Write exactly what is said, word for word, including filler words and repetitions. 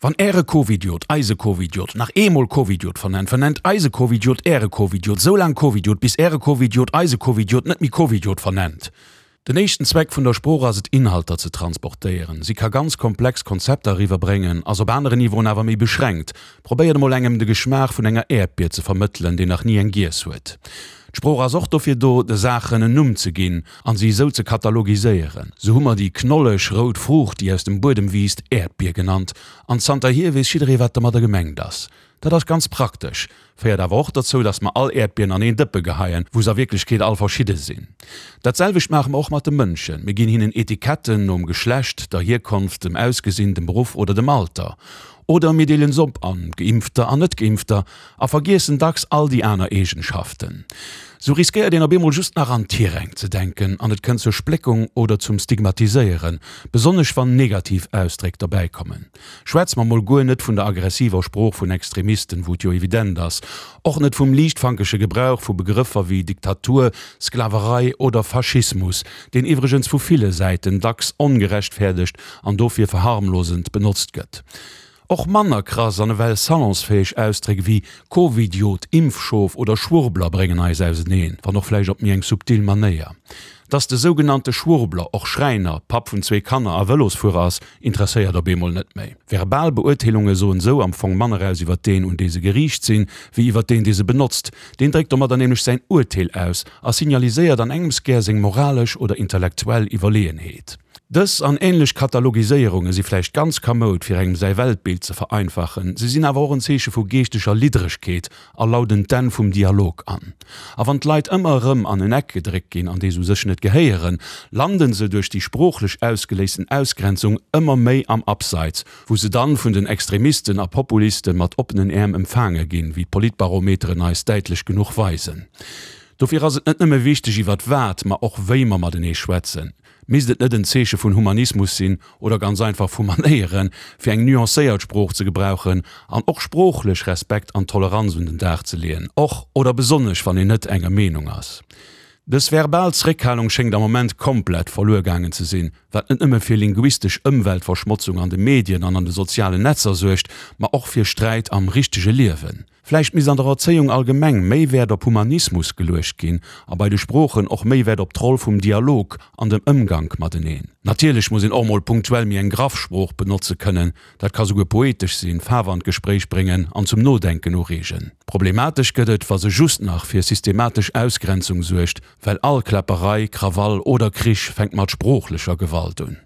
Wann Äre Covidiot eise Covidiot nach eemol Covidiot vernennt, vernennt eise Covidiot Äre Covidiot soulaang Covidiot, bis Äre Covidiot eise Covidiot net méi Covidiot vernennt. Den éischten Zweck vun der Sprooch ass et, Inhalter ze transportéieren. Si ka ganz komplex Konzepter eriwwerbréngen, ass op aneren Niveauen awer méi beschränkt. Probéiert emol engem de Geschmaach vun enger Äerdbier ze vermëttelen, deen nach ni eng giess huet. D'Sprooch ass och dofir do, de Saachen en Numm ze ginn an si esou ze katalogiséieren. Sou hu mer déi knolleg rout Fruucht, déi aus dem Buedem wiisst, Äerdbier genannt, an zanterhier weess jidderee wat domadder gemengt ass. Dat ass ganz praktesch, féiert awer och dozou, datt mer all Äerdbieren an een Dëppe geheien, wou se a Wierklechkeet all verschidde sinn. Dat selwecht maache mer och mat de Mënschen, mir ginn hinnen Etiketten nom Geschlecht, der Hierkonft, dem Ausgesinn, dem Beruff oder dem Alter. Oder mir deelen se op an Geimpfter an Net-Geimpfter a vergiessen dacks all déi aner Eegenschaften. Sou riskéiert een op eemol just nach an Tiräng ze denken an et kënnt zur Spléckung oder zum Stigmatiséieren, besonnesch wann negativ Ausdréck derbäi kommen. Schwätze mer mol guer net vun der aggressiver Sprooch vun Extremisten, wou et jo evident ass, och net vum liichtfankege Gebrauch vu Begrëffer wéi Diktatur, Sklaverei oder Faschismus, deen iwwregens vu ville Säiten dacks ongerechtfäerdegt an dofir verharmlosend benotzt gëtt. Och manner krass an ewell salonsfäeg Ausdréck ewéi Covidiot, Impfschof oder Schwurbler bréngen eis auseneen, wann och vläicht op méi eng subtil Manéier. Dass de sougenannte Schwurbler och Schräiner, Papp vun zwee Kanner a Vëlosfuerer ass, interesséiert op eemol net méi. Verbal Beurteelunge soen esou am Fong manner aus iwwer deen, un dee se geriicht sinn, wéi iwwer deen, dee se benotzt. Deen dréckt domadder nämlech säin Urteel aus a signaliséiert an engems gär seng moralesch oder intellektuell Iwwerleeënheet. Dës an änlech Katalogiséierunge si vläicht ganz kamoud, fir engem säi Weltbild ze vereinfachen, se sinn awer och en Zeeche vu geeschteger Liddregkeet a lauden d'Enn vum Dialog an. A wann d'Leit ëmmer erëm an en Eck gedréckt ginn, an dee se u sech net gehéieren, landen se duerch déi sproochlech ausgeléisten Ausgrenzung ëmmer méi am Abseits, wou se dann vun den Extremisten a Populiste mat oppenen Äerm empfaange ginn, wéi d'Politbarometeren eis däitlech genuch weisen. Dofir ass et net nëmme wichteg iwwert wat, ma och wéi mer matenee schwätzen. Misst et net en Zeeche vun Humanismus sinn, oder ganz einfach vu Manéieren, fir eng nuancéiert Sprooch ze gebrauchen an och sproochlech Respekt an Toleranz un den Dag ze leeën, och oder besonnesch wann een net enger Meenung ass? Dës verbal Zréckhalung schéngt am Moment komplett verluer gaangen ze sinn, wat net nëmme fir linguistesch Ëmweltverschmotzung an de Medien an an de sozialen Netzer suergt, ma och fir Sträit am richtege Liewen. Vläicht misst an der Erzéiung allgemeng méi Wäert op Humanismus geluecht ginn a bei de Sproochen och méi Wäert op d'Roll vum Dialog an dem Ëmgank mateneen. Natierlech muss een och mol punktuell méi eng graff Sprooch benotze kënnen, dat ka souguer poetesch sinn, Faarf an d'Gespréich bréngen an zum Nodenken ureegen. Problematesch gëtt et, wa se just nach fir systematesch Ausgrenzung suergt, well all Kläpperei, Krawall oder Krich fänkt mat sproochlecher Gewalt un.